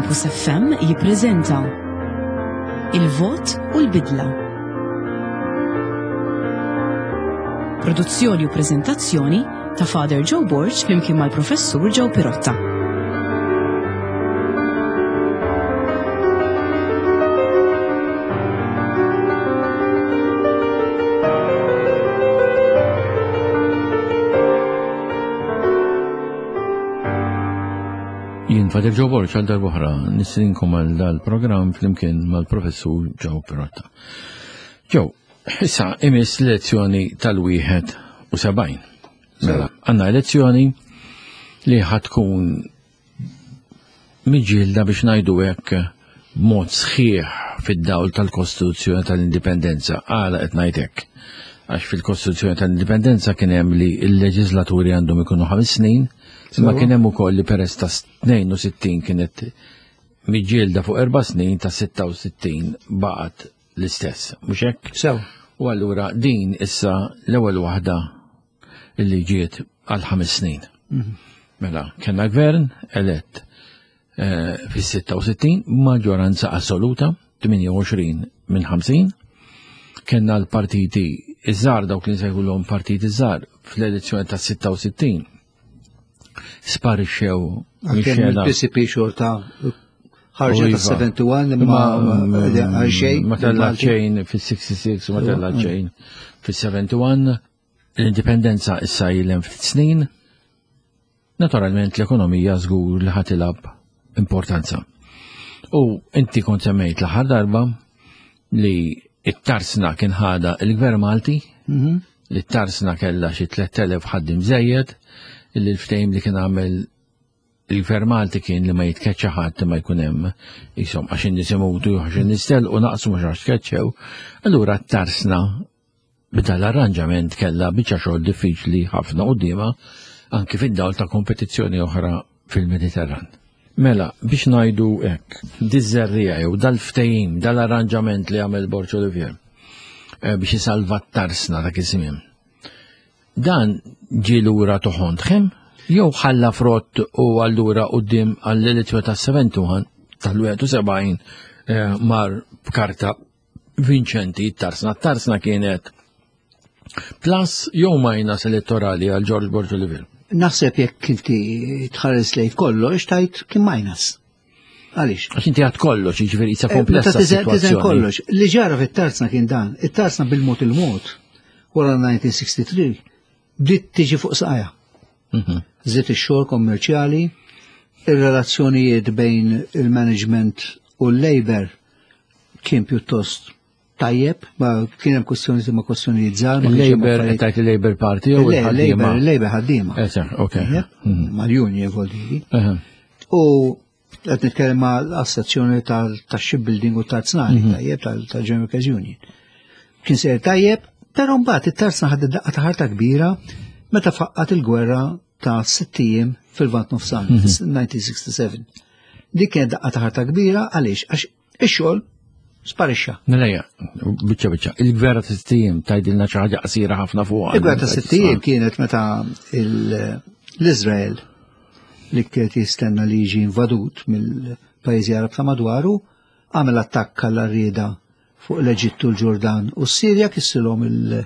Campus FM jippreżenta Il-Vot u l-Bidla. Produzzjoni u preżentazzjoni ta' Father Joe Borg flimkien mal-Professur Joe Pirotta. Jien Father Joe Borg għal darb'oħra nistedinkom għal dal-programm flimkien mal-Professur Joe Pirotta. Joe, issa imiss lezzjoni tal-71. Mela, għandna elezzjoni li ħatkun miġilda biex ngħidu hekk b'mod sħiħ fid-dawl tal-Kostituzzjoni tal-Indipendenza. Għala qed ngħid hekk. Għax fil-Kostituzzjoni tal-Indipendenza kien hemm li l-leġislaturi għandhom ikunu ħames snin, imma kien hemm ukoll li peress ta' 62 kienet miġielda fuq erba' snin ta' 66 baqgħet l-istess, mhux hekk? Sew. U allura din issa l-ewwel waħda li ġiet għal ħames snin. Mhm. Mela, kellna gvern elett eh, fis-66 maġġoranza assoluta, 28 minn 50. Kellna l-partiti iż-żgħar dawk li nsejħulhom partiti żgħar fl-elezzjoni ta' 66 sparixxew mix-xena. Il-PCP xorta ħarġet ta' 71 imma xejn. Ma tella xejn fis-66 u ma tella xejn fis-71. L-indipendenza issa ilhem ftit snin. Naturalment l-ekonomija żgur li ħatilab importanza. U inti kont semmejt l-aħħar darba li it-tarsna kien ħada il-Gvern Malti, mhm. li t-tarsna kellha xi 3000 ħaddim żejjed, li l-ftehim li kien għamel il-Gvern Malti kien li ma jitkeċċa ħadd ma jkun hemm isom għax in-nies imutu għax in-nies telqu naqsu mhux għax tkeċċew. Allura t-tarsna b'dan l-arranġament kellha biċċa xogħol diffiċli ħafna quddiemha anki fid-dawl ta' kompetizzjoni oħra fil-Mediterran. Mela, biex ngħidu hekk, diż-żerriegħa jew dal-ftehim, dal-arranġament li għamel Borg Olivier eh, biex isalva t-tarsna dak iż-żmien. Dan ġie lura toħontħem jew ħalla frott u allura quddiem għall-elezzjoni tas-71 tal-71 eh, mar b'karta vinċenti t-tarsna. T-tarsna kienet plus jew minus elettorali għal George Borg Olivier. Naħseb jekk inti tħares lejn kollox tajt kien minus. Għaliex? Għax inti għad kollox, jiġifieri jisa eh, komplessa. Tiżen kollox. Li ġara fit-tarsna kien dan, it-tarsna bil-mod il-mod wara 1963 bdiet tiġi fuq saqajha. Mhm. Żied ix-xogħol kommerċjali, ir-relazzjonijiet bejn il-management u l-labor kien pjuttost tajjeb, ma kien hemm kwestjoni ma kwestjonijiet żgħar. Il-Labor tajt il-Labor Party jew il-Labor il-Labor ħaddiema. Ok. Mhm. Mal-union vuol dire. U qed nitkellem ma' l-assoċjazzjoni tax-shipbuilding u tal-tsnari mhm. tajjeb tal-General Workers Union. Kien sejjer tajjeb, però mbagħad it-tarzna ħadet daqqa ta' ħarta kbira meta faqqat il-gwerra ta' sitt ijiem fil-Lvant Nofsani, 1967. Mhm. Dik kienet daqqa ta' ħarta kbira għaliex għax ix-xogħol sparixxa. Mela biċċa biċċa, il-gwerra ta' sitt ijiem tgħidilna xi ħaġa qasira ħafna fuq. Il-gwerra ta' sitt ijiem kienet meta l-Iżrael li kienet jistenna li jiġi invadut mill-pajjiżi Arab ta' madwaru, għamel attakk għall rieda fuq l-Eġittu, l-Ġordan u s-Sirja kissilhom il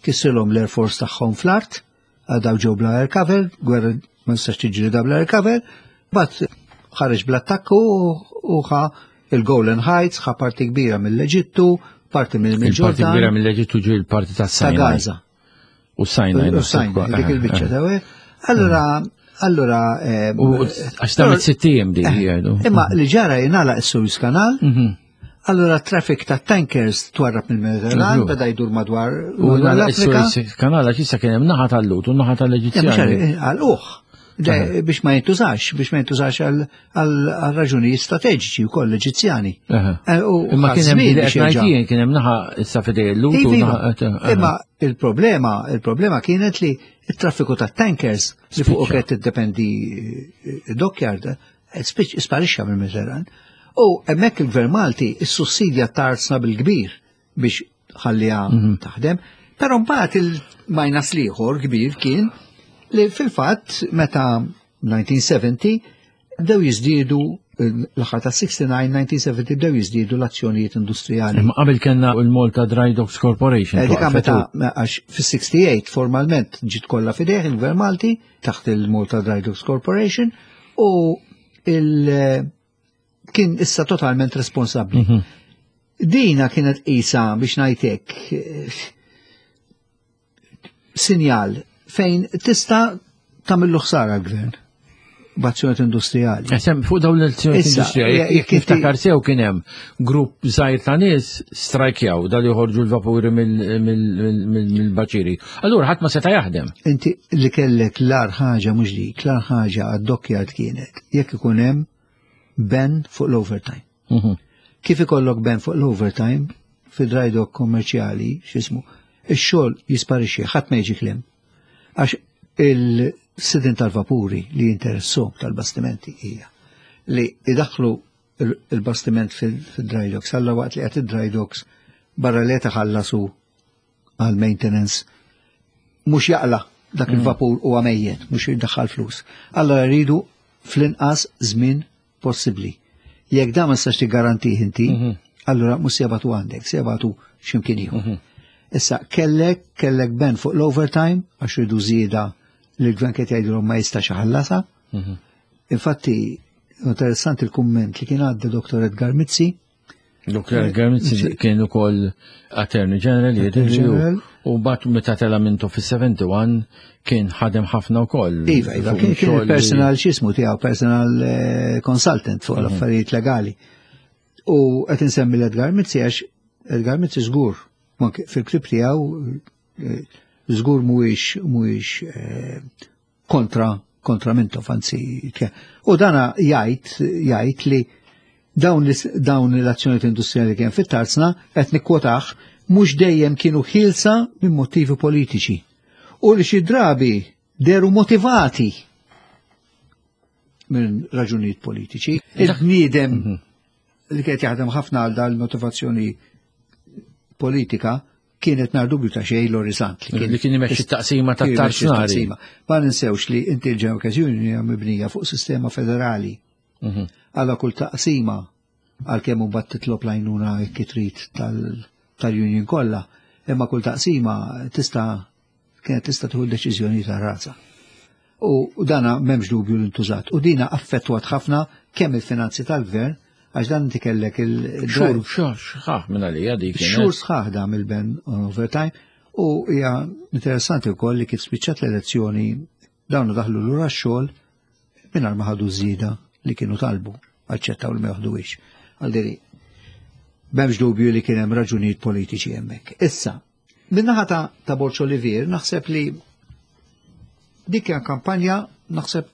kissilhom l-Air Force tagħhom fl-art Għadaw ġew bla air cover, gwerra ma nistax tiġri da bla air cover, bat ħareġ bl-attakku u ħa il-Golan Heights, ħa parti kbira mill-Eġittu, parti mill-Ġordan. Parti kbira mill-Eġittu ġi l-parti ta' Sinai. Ta' Gaza. U Sinai. U Sinai, dik il-biċċa ta' Allora, allora. Eh, u għax ta' sittijiem di eh, jgħidu. Imma li ġara jingħalaq is-Suez Canal, mhm. Allura traffic ta' tankers twarrab mill-Mediterran, beda jdur madwar U l-Afrika. Kanala issa kien hemm naħa tal-Lut u naħa tal-Eġizzjani. Għal uħ. Biex ma jintużax, biex ma jintużax għal raġunijiet strateġiċi wkoll l-Eġizzjani. Eh, Imma kien hemm kien hemm naħa issa fidej l-Lut. Iva, iva. Imma il-problema, il-problema kienet li il-traffiku ta' tankers li fuq kienet tiddependi eh, dockyard sparixxa mill-Mediterran. U hemmhekk il-Gvern Malti issussidja tarzna bil-kbir biex ħalliha mhm. taħdem. Però mbagħad il-minus liħor kbir kien li fil-fatt meta 1970 bdew jiżdiedu. l-aħħar ta' 69, 1970 bdew jiżdiedu l-azzjonijiet industrijali. Imma qabel kellna l-Malta Dry Docks Corporation. Eh, dik meta għax fis-68 formalment ġiet kollha fidejh il-Gvern Malti taħt il-Malta Dry Docks Corporation u il kien issa totalment responsabbli. Mhm. Dina kienet isa biex ngħidlek sinjal fejn tista' tagħmillu ħsara l-gvern b'azzjonijiet industrijali. Esem, fuq dawn l-azzjonijiet industrijali, jekk niftakar sew kien hemm grupp żgħir ta' nies strajkjaw dal joħorġu l-vapuri mill-baċiri. Allura ħadd ma seta' jaħdem. Inti li kellek l-ar ħaġa mhux dik, l-ar ħaġa għad-dokkjard kienet jekk ikun hemm ben fuq l-overtime. Mhm. Kif ikollok ben fuq l-overtime fi dry dock kommerċjali, x'ismu, ix-xogħol jisparixxi, ħadd ma jiġi klim. Għax il-sidin tal-vapuri li jinteressu tal-bastimenti hija li idaħlu il-bastiment fil-dry docks, alla waqt li qed id-dry docks barra li taħallasu għal maintenance mhux jaqla dak mm. il-vapur huwa mejjet, mhux jiddaħħal flus. Allora rridu fl-inqas żmien possibbli. Jekk dan ma tistax tiggarantih inti, mhm. allura mhux se jabatu għandek, se jabatu x'imkien ieħor. Mhm. Issa kellek kellek ben fuq l-overtime għax ridu żieda li l-gvern qed jgħidilhom ma jistax iħallasha. Mhm. Infatti, interessanti il-kumment li kien għadda Dr. Edgar Mizzi, Dr. Edgar Mizzi kien ukoll Attorney General jidhirli u bat meta tela mintu fis-71 kien ħadem ħafna wkoll. Iva, iva, kien personal x'ismu tiegħu, personal eh, consultant fuq mhm. l-affarijiet legali. U qed insemmi l-Edgar Mizzi għax Edgar Mizzi żgur fil-klib tiegħu eh, żgur mhuwiex mhuwiex eh, kontra kontra Mintoff, anzi. U dana jgħid jgħid li dawn dawn l-azzjonijiet industrijali kien fit-tarzna qed nikkwotah mhux dejjem kienu ħielsa minn motivi politiċi u li xi drabi deru motivati minn raġunijiet politiċi. Il-bniedem mhm. li kienet jaħdem ħafna għal dal-motivazzjoni politika kienet nar dubju ta' xejn l-Orizant. Li kien imexxi taqsima ta' tarznari. Ma ninsewx li inti l-General Union hija mibnija fuq sistema federali. Mhm. Għala kull taqsima għalkemm mbagħad titlob l-għajnuna jekk trid tal-union kollha, imma kull taqsima tista' kienet tista' tieħu deċiżjoni ta' rasa. U dana m'hemmx dubju li ntużat. U dina affettwat ħafna kemm il-finanzi tal-gvern, għax dan inti kellek il- Xhur, xhur, sħaħ minn għalija dik. Xhur sħaħ dam il-ben on overtime. U hija interessanti wkoll li kif spiċċat l-elezzjoni dawn daħlu lura x-xogħol mingħajr ma ħadu żieda li kienu talbu, aċċettaw li ma joħduhiex. Għaldiri, m'hemmx dubju li kien hemm raġunijiet politiċi hemmhekk. Issa, Minnaħa ta', ta Borċ Olivier, naħseb li dik kien kampanja, naħseb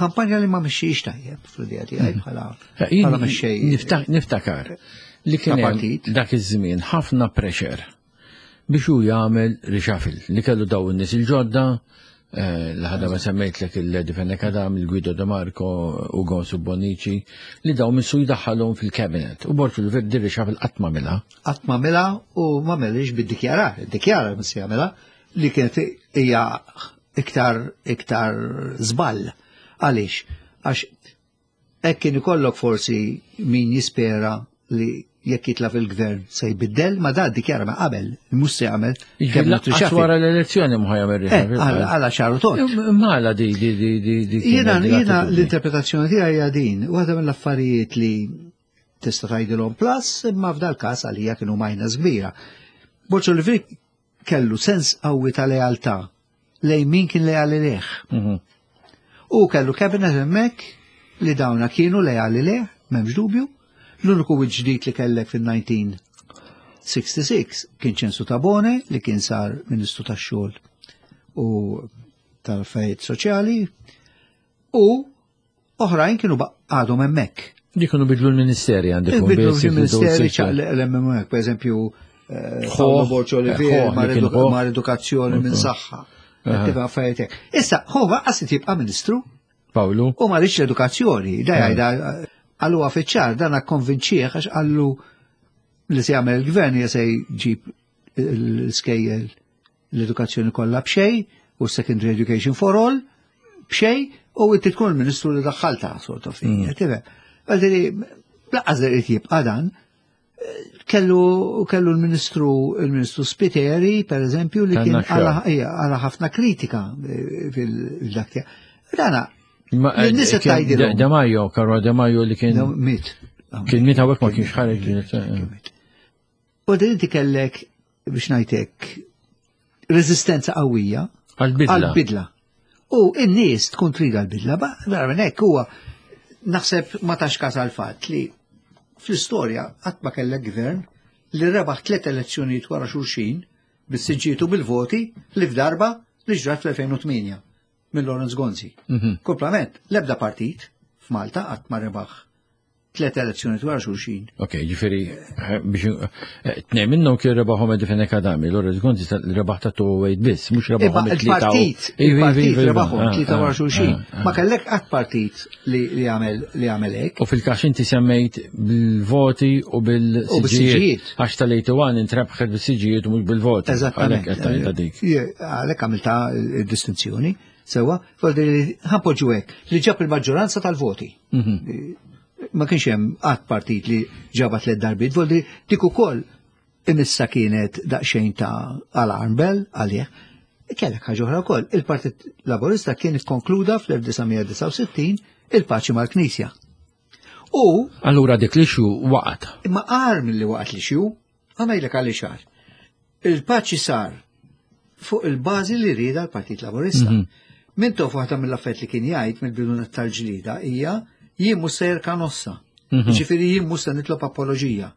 kampanja li ma mxiex tajjeb fl-idea tiegħi mhm. bħala eh, bħala mexxej. Niftakar li kien dak iż-żmien ħafna pressure biex hu jagħmel reshuffle li kellu daw in-nies il-ġodda eh, l-ħadha ma semmejtlek il-Lady Fenech Adam, il-Guido De Marco, Ugo Subbonici, li daw missu jdaħħalhom fil-cabinet. U Borċ Olivier di reshuffle qatt ma milha. Qatt ma milha u ma melix bid-dikjarar, iddikjara missi jagħmilha li kienet hija iktar iktar żball. Għaliex? Għax hekk kien ikollok forsi min jispera li jekk jitla fil-gvern se jbiddel, ma da dikjara ma qabel, mhux se jagħmel. Kemm wara l-elezzjoni mhu jagħmel eh, Għala ċaru tot. Mala di di di di di. Jiena jiena l-interpretazzjoni tiegħi hija din, waħda mill-affarijiet li tista' tgħidilhom plus, imma f'dal każ għalija kienu minus kbira. Borġ Olivier kellu sens qawwi ta' lealtà lejn min kien leali leh. Mhm. U kellu cabinet hemmhekk li dawna kienu leali leh, m'hemmx dubju. L-uniku ġdid li kellek fil-1966 kien Ċensu Tabone li kien sar Ministru tax-xogħol u tal-affarijiet soċjali u Oħrajn kienu għadhom hemmhekk. Li kienu bidlu l-ministeri għandek. Bidlu l-ministeri ċaqliq l-hemmhekk, per eżempju, eh, Paolo Borċo Olivier mar edukazzjoni minn saħħa. Tibqa' affarijiet hekk. Issa, huwa qas jibqa' ministru. Pawlu. U ma rridx l-edukazzjoni, da jgħidha għallu fiċ-ċar dan akkonvinċih għax qallu li se jagħmel il-gvern hija se jġib l-iskejjel l-edukazzjoni kollha b'xejn u secondary education for all b'xejn u inti tkun il-ministru li daħħalta sort of thing. Mm. Għaldiri, laqqas li jibqa' dan, kellu kellu l-ministru il-ministru Spiteri, per eżempju, li kien għala ħafna kritika eh, fil-dak Dana, eh, l-nies tgħidilhom. De Majo, Karol De Majo li kien. Mit. Kien mit hawnhekk ma kienx ħareġ. U din inti kellek biex ngħidlek reżistenza qawwija għal-bidla. U n-nies tkun trid għal-bidla, barra minn hekk huwa naħseb ma tax każ għal-fatt li fl-istorja qatt ma kellek gvern li rebaħ tliet elezzjonijiet wara xulxin bis-siġġietu bil-voti li f'darba li ġrat fl-2008 minn Lawrence Gonzi. Mhm. Komplament, l-ebda partit f'Malta qatt ma rebaħ tlet elezzjoni wara xulxin. Ok, ġifiri, eh, biex eh, tnej minnhom kien rebaħhom Edifene Kadami, l Gonzi rebaħ ta' 208 biss, mhux rebaħhom it-tlieta. Il-partit, il-partit rebaħhom ah, tlieta wara ah, xulxin. Ah, Ma kellek qatt partit li għamel li għamel hekk. U fil-każ inti semmejt bil-voti u bil-siġijiet. Għax tal-81 intrebħet bil-siġijiet u mhux bil-voti. Eżattament. Għalhekk għamilta distinzjoni. Sewa, ħanpoġġu hekk li ġab il-maġġoranza tal-voti. Mhm. Ma kienx hemm qatt partit li ġaba tliet darbiet, voldi dik ukoll imissa kienet daqsxejn ta' alarm bell għalih. Kellek ħaġa oħra wkoll, il-Partit Laburista kien ikkonkluda fl-1969 il-paċi mal-Knisja. U Allura dik li xu waqgħet. Imma qar milli waqgħet li xu, għamejlek għalli xar. Il-paċi sar fuq il-bażi li rieda l-Partit Laburista. Mm -hmm. Mintoff waħda mill-affett li kien jgħid mill-bidu tal-ġlida hija jien mhux sejjer kanossa. Mhm. Ġifieri jien mhux se nitlob apoloġija.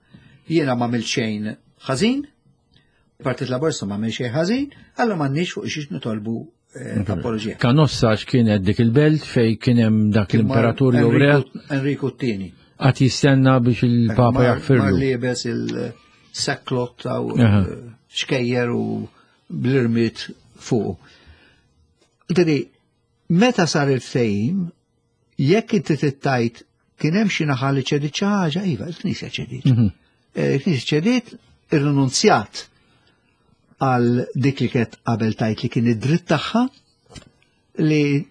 Jiena ma xejn ħażin, Partit Laburista ma xejn ħażin, allura m'għandniex fuq xiex nitolbu eh, apoloġija. Kanossa x'kienet dik il-belt fej kien hemm dak l-imperatur jew re. Enrico t-tieni. Qatt jistenna biex il-Papa jaħfirlu. Mar liebes il-saklot ta' xkejjer u bl-irmiet fuq. Diri, meta sar il-ftehim, jekk inti tittajt kien hemm xi naħa li ċedit xi ħaġa, iva, il-Knisja ċedit. Mhm. Eh, il-Knisja ċedit, irrinunzjat għal dik li kienet qabel tajt li kien id-dritt tagħha li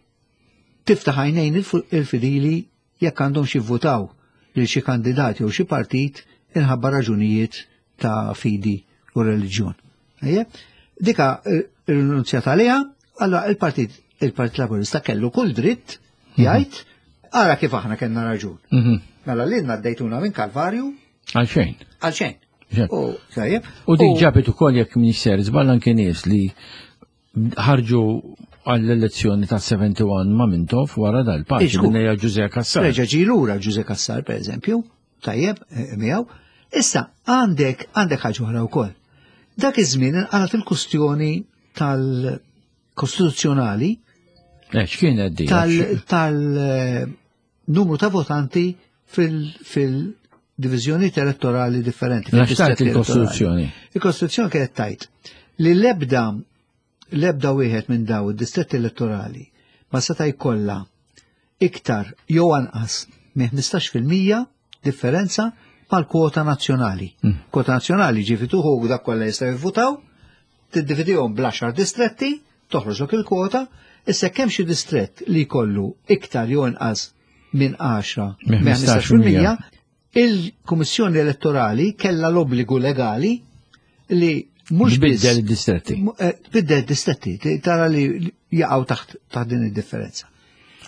tiftaħ għajnejn il-fidili jekk għandhom xi votaw lil xi kandidat jew xi partit inħabba raġunijiet ta' fidi u reliġjon. Dika eh, rinunzjat għaliha, allora il-Partit il-Partit Laburista kellu kull dritt mhm. jgħid ara kif aħna kellna raġun. Mhm. Mela lilna għaddejtuna minn Kalvarju. Għalxejn. Għalxejn. U tajjeb. U dik ġabet ukoll jekk minister żball anke nies li ħarġu għall-elezzjoni ta' 71 ma' Mintoff wara dal-paċi minn Ġuże Kassar. Reġa' ġie lura Ġuże Kassar pereżempju, tajjeb eh, miegħu. Issa għandek għandek ħaġa oħra wkoll. Dak iż-żmien inqalat il-kustjoni tal-kostituzzjonali. Eh, x'kienet di? Tal-numru ta' votanti fil-diviżjonijiet elettorali differenti. X'tajt il-Kostituzzjoni? Il-Kostituzzjoni kienet tajt li l-ebda l-ebda wieħed minn daw id-distretti elettorali ma seta' jkollha iktar jew anqas minn 15% differenza mal-kwota nazzjonali. Mm. Kwota nazzjonali ġifi tuħu dak kollha jistgħu jivvutaw, tiddividihom bl-10 distretti, toħroġlok il-kwota, issa kemm xi distrett li jkollu iktar jew inqas minn 10 minn 15%, il-Kummissjoni Elettorali kellha l-obbligu legali li mhux biddel id-distretti. Eh, tbiddel id-distretti, tara li jaqgħu taħt taħt din id-differenza.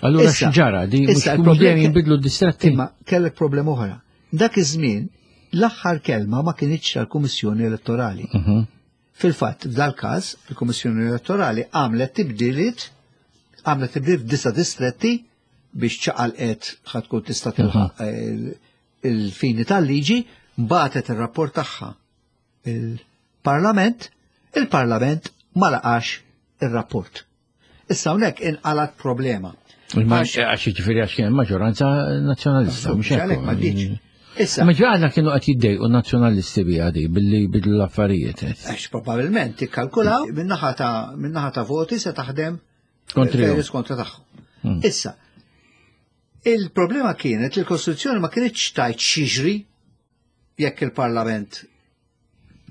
Allura x'ġara di mhux problemi jinbidlu d-distretti. Imma kellek problema oħra. Dak iż-żmien l-aħħar kelma ma kinitx tal-Kummissjoni Elettorali. Mhm. Fil-fatt, f'dal-każ, il-Kummissjoni Elettorali għamlet tibdiliet għamlet tibdil f'disa distretti biex ċaqalqet ħatkun tista' tilħaq mhm. eh, il-fini tal-liġi, batet ir-rapport tagħha il-Parlament, il-Parlament ma laqax ir-rapport. Issa hawnhekk inqalat problema. Għax ġifieri għax kien maġġoranza nazzjonalista, mhux hekk. Ma Issa. Ma ġaħna kienu qed jiddejqu nazzjonalisti biha di billi bidlu l-affarijiet. Għax probabbilment ikkalkulaw minnaħa ta' minnaħa ta' voti se taħdem Kontri. Kontra tagħhom. Hmm. Issa, il-problema kienet li l-Kostituzzjoni ma kienitx tajt xiġri jekk il-Parlament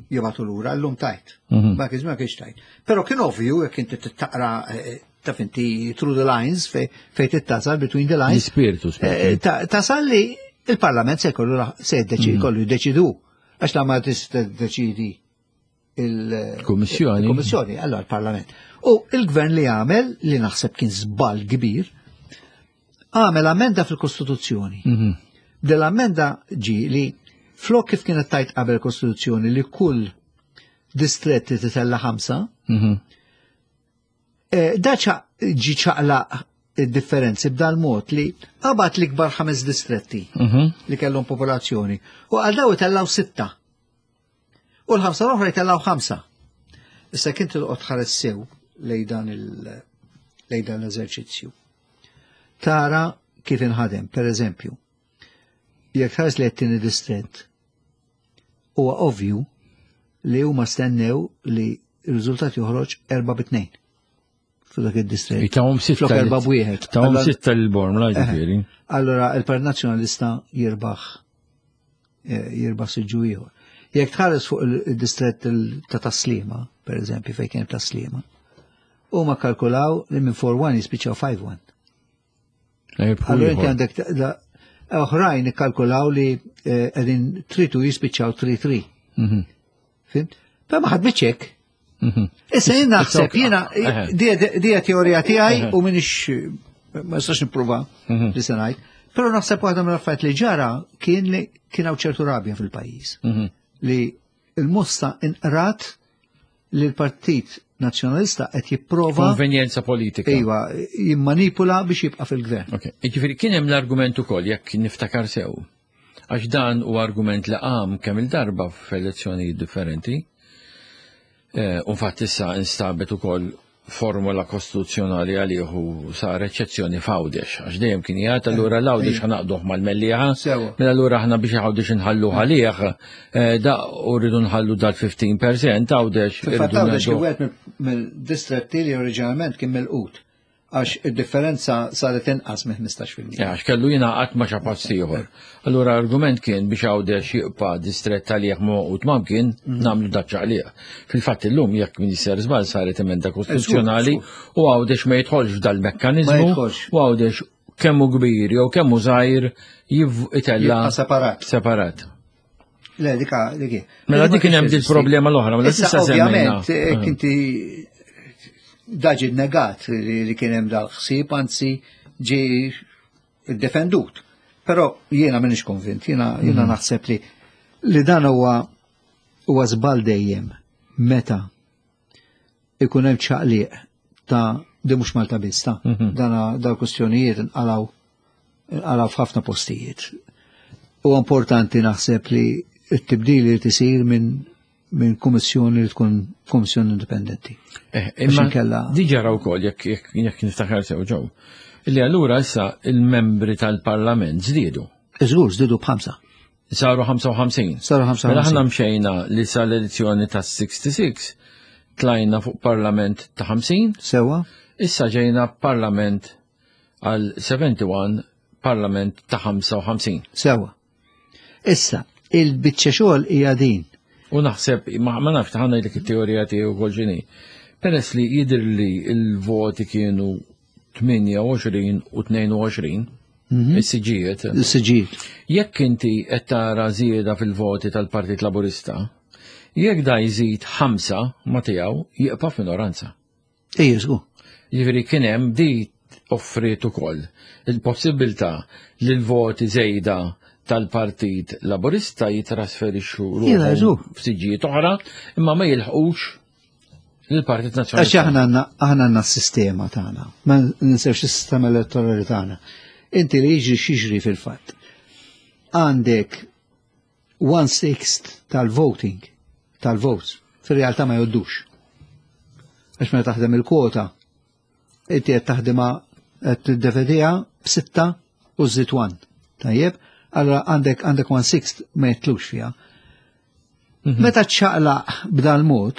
jibatu lura, llum tajt. Mhm. Ma kienx ma kienx tajt. Però kien ovvju jekk inti taqra eh, taf inti through the lines fej tittasal between the lines. L-ispirtu, eh, Tasal li Il-Parlament se jkollu se jiddeċi jkollu jiddeċidu għax la ma tista' tiddeċidi il-Kummissjoni. Il-Kummissjoni, allora l-Parlament. U il-gvern li għamel, li naħseb kien żball kbir, għamel amenda fil-Kostituzzjoni. Dell-amenda ġi li flok kif kienet tajt qabel Kostituzzjoni li kull distretti titella 5, da ġi ċaqlaq id-differenzi b'dal mod li qabad l-ikbar 5 distretti li kellhom popolazzjoni u għal daw itellaw 6. U l-5 l-oħra jtellaw 5. Issa kien tilqot ħares sew lej dan l-eżerċizzju. Tara kif inħadem, per eżempju, jekk tħares li t-tieni distrett, huwa ovvju li huma stennew li r-riżultat joħroġ 4-2 f'dak id-distrett. Tawhom sitta. Flok 4-1. Tawhom 6 l-Bormla, ġifieri. Allora il-Partit Nazzjonalista jirbaħ siġġu ieħor. Jekk tħares fuq il-distrett ta' Taslima, per eżempju, fejn kien Taslima, huma kalkulaw li minn 4-1 jispiċċaw 5-1. Allora inti għandek oħrajn ikkalkulaw li qegħdin 3-2 jispiċċaw 3-3. Fimt? Però ma ħadmitx hekk. Issa jien naħseb, jiena dija teorija tiegħi u minix ma nistax nipprova li se ngħid. Però naħseb waħda mill-affarijiet li ġara kien li kien hawn ċertu rabja fil-pajjiż. Li l-mossa inqrat li l-Partit Nazzjonalista qed jipprova konvenjenza politika. Iva, jimmanipula biex jibqa' fil-gvern. Ok. Jiġifieri kien hemm l-argument ukoll jekk niftakar sew. Għax dan u argument li qam kemm il-darba f'elezzjonijiet differenti. U fatt issa instabet ukoll formula kostituzzjonali għalih u sar eċċezzjoni f'Għawdex, għax dejjem kien jgħid allura l-Għawdex ħanaqduh mal-Mellieħa, mela allura aħna biex Għawdex inħallu għalih, da u rridu nħallu dal-15% Għawdex. Fil-fatt irridu Għawdex kien ngħaddu. wieħed mill-distretti li oriġinalment kien mill-qut, għax id-differenza saret inqas minn ħmistax fil-mija. Għax kellu jingħaqad ma' xi post ieħor. Allura argument kien biex Għawdex jibqa' distrett għalih ma' u tmam kien nagħmlu daċċa għalih. Fil-fatt illum jekk min jisser żball saret emenda kostituzzjonali u Għawdex ma jidħolx f'dal-mekkaniżmu Ma jidħolx. u Għawdex kemm hu kbir jew kemm hu żgħir itella Jibqa' separat. Separat. Le, dik hi. Mela Dik dik kien hemm ma din problema l-oħra, mela Issa, tista' semmejna. ovvjament, kinti daġi negat li kien hemm dal-ħsieb, anzi ġi defendut. Però jiena m'iniex konvint, jiena naħseb li dan huwa żball dejjem meta ikun hemm ċaqliq ta' di mhux Malta biss ta' dana dal kwistjonijiet inqalaw f'ħafna postijiet. Huwa importanti naħseb li t-tibdil li tisir minn kummissjoni li tkun kummissjoni indipendenti. Għax Imma inkella diġà raw ukoll jekk niftakar sew ġew. Illi allura issa il-membri tal-Parlament żdiedu. Żgur, żdiedu b'5. Saru 55. Saru ħamsa Mela aħna وخمسين. mxejna li sal-elezzjoni ta' 66 tlajna fuq Parlament ta' 50. Sewa. Issa ġejna Parlament għal 71, Parlament ta' 55. Sewa. Issa, il-biċċa xogħol hija din. U naħseb, ma nafx ħanna dik it-teorija tiegħu wkoll x'inhi. Peress li jidher li l-voti kienu 28 u 22, is-siġijiet. Is-siġijiet. Jekk inti qed tara żieda fil-voti tal-Partit Laburista, jekk da jżid 5 ma tiegħu jibqa' f'minoranza. Ejja, żgur. Jiġifieri kien hemm di offriet ukoll il-possibilità li l-voti żejda tal-Partit Laburista jitrasferixxu Jiena, ruħhom żgur. f'siġġijiet oħra, imma ma jilħqux lill-Partit Nazzjonalista. Għax aħna għandna s-sistema tagħna, ma ninsewx is-sistema elettorali tagħna. Inti li jiġri xiġri fil-fatt. Għandek 1/6 tal-voting, tal-votes, fil-realtà ma joddux. Għax meta taħdem il-kwota, inti qed taħdimha qed tiddefendiha b'sitta u żżid 1. Tajjeb? Allora għandek 1/6 ma jitlux fiha. Meta ċċaqlaq b'dal-mod,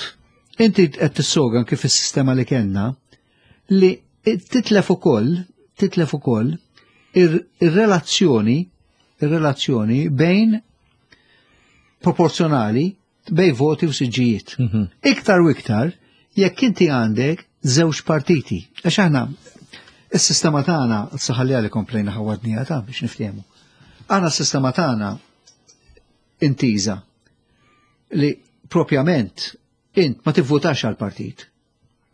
inti qed tissogan kif is-sistema li kellna li titlef ukoll ir-relazzjoni bejn proporzjonali bejn voti u siġġijiet. Iktar u iktar jekk inti għandek żewġ partiti. Għax aħna is-sistema tagħna saħalli għalli komplejna ħawadnija ta' biex niftehmu. Aħna s-sistema tagħna intiża li propjament int ma tivvotax għal partit,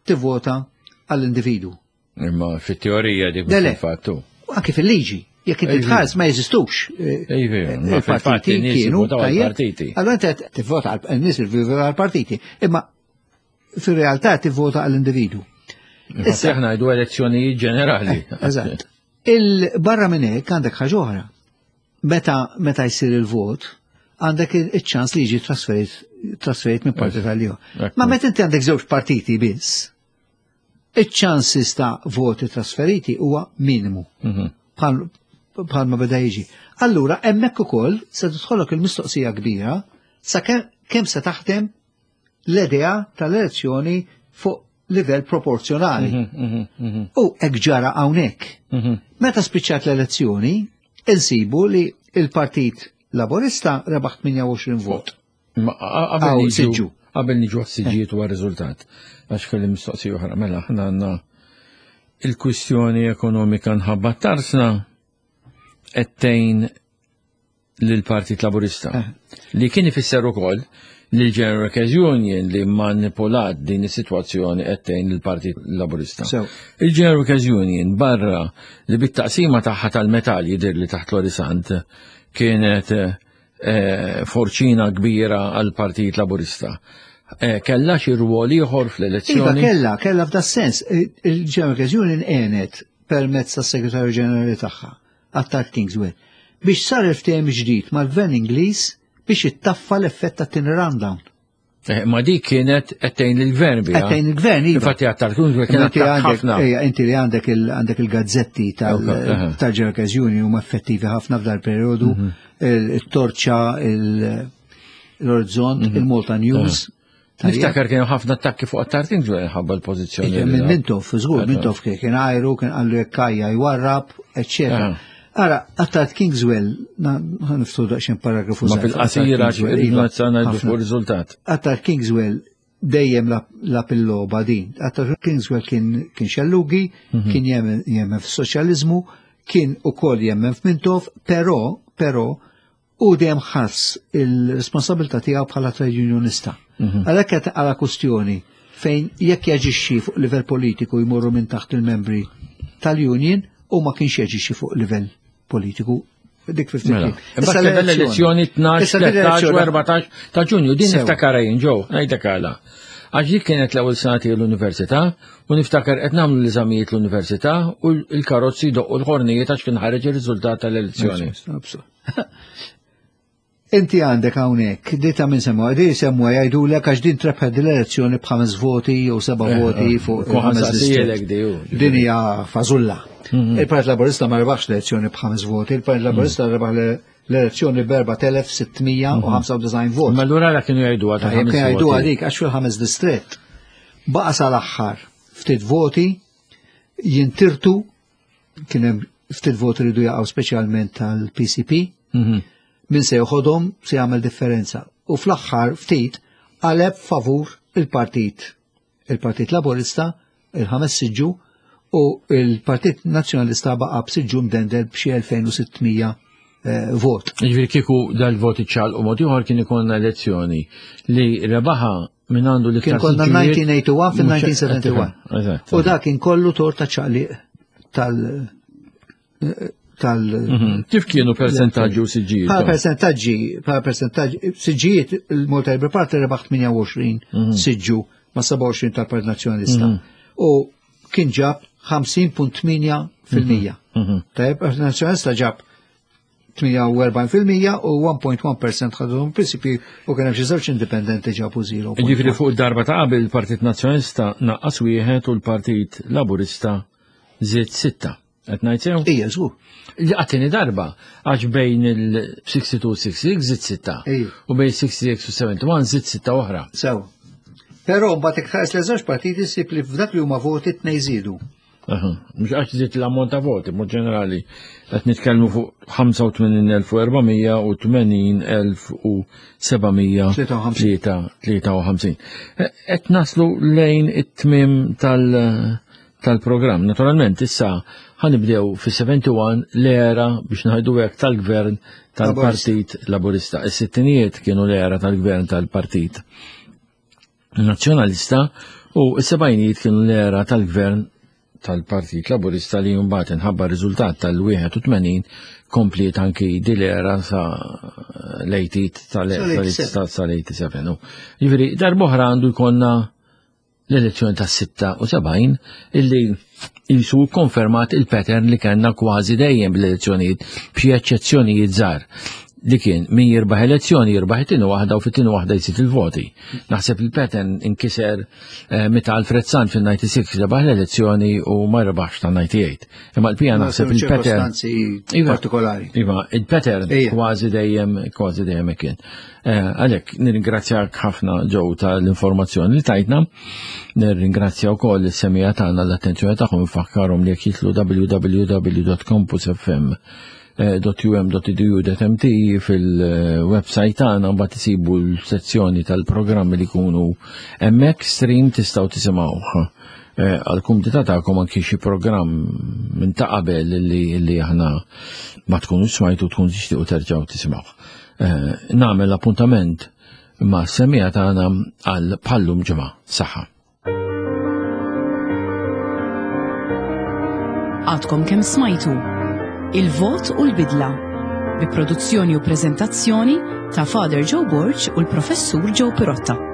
tivvota għall-individu. Imma fit-teorija dik fil-fattu. Anke fil-liġi, jekk inti tħares ma jeżistux. Eh, eh, il-partiti kienu partiti. Allora inti tivvota għal nies għal-partiti, imma fir-realtà tivvota għall-individu. Issa aħna ngħidu elezzjonijiet ġenerali. Eh, eżatt. Il-barra minn hekk għandek ħaġa oħra. Meta meta jsir il-vot, għandek iċ-ċans li jiġi trasferit trasferit minn partit għal ieħor. Ma meta inti għandek żewġ partiti biss, iċ-ċansis ta' voti trasferiti huwa minimu. Mhm. Bħal ma beda jiġi. Allura hemmhekk ukoll se tidħolok il-mistoqsija kbira sa kemm se taħdem l-idea tal-elezzjoni fuq livell proporzjonali. Mhm, mhm, U hekk ġara hawnhekk. Meta spiċċat l-elezzjoni, insibu li il-Partit Laburista rebaħ 28 vot. Qabel niġu għas-siġijiet u għar-riżultat, għax kelli mistoqsija oħra, mela aħna għandna il-kwistjoni ekonomika nħabba tarsna qed tgħin lill-Partit Laburista. Eh. Li kien ifisser ukoll li l-General Workers Union li manipulat din is-sitwazzjoni qed tgħin lill-Partit Laburista. Il-General Workers Union barra li bit-taqsima tagħha tal-metall jidher li taħt l-Orisant kienet eh, forċina kbira għall-Partit Laburista. Eh, kella xi rwol ieħor fl-elezzjoni? Iva kella, kella f'da sens. Il-General Workers Union għenet permezz tas-Segretarju Ġenerali tagħha Attard Kingsway, biex sar il-ftehim ġdid mal-Gvern Ingliż biex ittaffa l-effett tat-tieni rundown. Eh, ma dik kienet qed tgħin lill-gvern biha. Qed tgħin il-gvern, iva. Infatti Attard Kingsway kien ħafna. Ejja, inti li għandek għandek il-gazzetti tal-Workers Union huma effettivi ħafna f'dal periodu, mhm. il-Torċa, l-Orizzont, mhm. il-Malta News. Niftakar kienu ħafna attakki fuq Attard Kingsway ħabba l-pożizzjoni. Minn Mintoff, żgur, Mintoff kien għajru, kien qallu jekk kajja jwarrab, eċċetera. Ara, Attard Kingswell, niftu daqsxejn paragrafu. Ma fil-qasira iva, ngħidu fuq riżultat. Attard Kingswell dejjem la il-logħba din. Attard Kingswell kien xellugi, mhm. kien jemmen fis-soċjaliżmu, kien ukoll jemmen f'Mintoff, però, però, u dejjem ħass il-responsabilità tiegħu bħala trade unionista. Mhm. Għalhekk qed għala kustjoni fejn jekk jaġixxi fuq livell politiku jmorru minn taħt il-membri tal-union u ma kienx jaġixxi fuq livell politiku dik fifty. Mela. Issa l-elezzjoni 12, 13 u 14 ta' Ġunju, din niftakar jien ġew, ngħidlek għala. Għax dik kienet l-ewwel sena tiegħi l-università u niftakar qed nagħmlu l-eżamijiet l-università u l-karozzi doqqu l-ħornijiet għax kien ħareġ ir-riżultat tal-elezzjoni. Inti għandek hawnhekk, di ta' minn semmu, di semmu jgħidulek għax din trebħed l-elezzjoni b'ħames voti jew seba' eh, voti eh, fuq ħames Din hija fażulla. Mhm. Il-Partit Laburista ma rebaħx l-elezzjoni b'ħames voti, il-Partit mhm. Laburista rebaħ l-elezzjoni b'4695 mhm. vot. Ma allura la kienu jgħidu għad. Kienu jgħidu għadik għax fil-ħames distrett. Baqa sal-aħħar ftit voti jintirtu kien hemm ftit voti ridu jaqgħu speċjalment tal-PCP. Mhm. Min se joħodhom se jagħmel differenza. U fl-aħħar ftit qaleb favur il-partit. Il-Partit Laburista, il-ħames siġġu, u il-Partit Nazzjonalista baqa' b'siġġu mdendel b'xi 2600 eh, vot. Ġifieri kieku dal-voti ċal u mod ieħor kien ikollna elezzjoni li rebaħa Min għandu li Kien konna 1981 fil-1971. U dak kien kollu torta ċaqliq tal tal mhm. Kif kienu percentaġġi u siġġijiet? Bħala percentaġġi, bħala percentaġġi, siġġijiet il-Malta Labour Party rebaħ 28 mhm. siġġu ma' 27 tal-Partit Nazzjonalista. Mhm. U kien ġab 50.8 fil-mija. Tajjeb, Partit Nazzjonalista ġab 48% u 1.1% ħadhom PCP u kien hemm xi żewġ indipendenti ġabu zero. Jiġifieri fuq darba ta' qabel il-Partit Nazzjonalista naqqas wieħed u l-Partit Laburista żied sitta. Qed ngħid sew? Ija, żgur. Li għattini darba għax bejn il-62 u 66 żied sitta. U bejn 66 u 71 żied sitta oħra. Sew. Però mbagħad iktar li żewġ partiti ssib li f'dak li huma voti tnej żiedu. Mhux għax żied l-ammont ta' voti, mod ġenerali, qed nitkellmu fuq 85,400 u 80,753. Qed naslu lejn it-tmiem tal- tal-programm. Naturalment issa ħanibdew fi-71 l-era biex ngħidu hekk tal-gvern tal-Partit Laburista. Is-sittinijiet kienu l-era tal-gvern tal-Partit Nazzjonalista u s-sebgħinijiet kienu l-era tal-gvern tal-Partit Laburista li mbagħad inħabba riżultat tal-81 kompliet anki dil-era sa l-80 tal-87. Jiġifieri darb'oħra għandu jkollna l-elezzjoni tas-76 illi jisu konfermat il-pattern li kellna kważi dejjem bl-elezzjonijiet b'xi eċċezzjonijiet żgħar li kien min jirbaħ elezzjoni jirbaħ it-tieni waħda u fit-tieni waħda jżid il-voti. Naħseb il-pattern inkiser eh, meta Alfred Sant fil-96 rebaħ l-elezzjoni u ma rebaħx ta' 98. Imma l-pija naħseb il-pattern. Iva, partikolari. Iva, il-pattern kważi dejjem kważi dejjem kien. Eh, għalhekk nirringrazzjak ħafna ġew tal-informazzjoni li tajtna. Nirringrazzja wkoll is-semija tagħna l-attenzjoni tagħhom infakkarhom li jekk jitlu www.campusfm.um.edu.mt fil-website tagħna mbagħad isibu l-sezzjoni tal-programmi li jkunu hemmhekk stream tistgħu tisimgħuh eh, għal-kumdita tagħkom anki xi programm minn ta' qabel li aħna ma tkunu smajtu tkun tixtiequ terġgħu tisimgħuh. Eh, nagħmel appuntament ma' semija tagħna għal bħallum ġimgħa. Saħħa. Għadkom kemm smajtu Il-vot u l-bidla bi produzzjoni u preżentazzjoni ta' Father Joe Borg u l-Professur Joe Pirotta.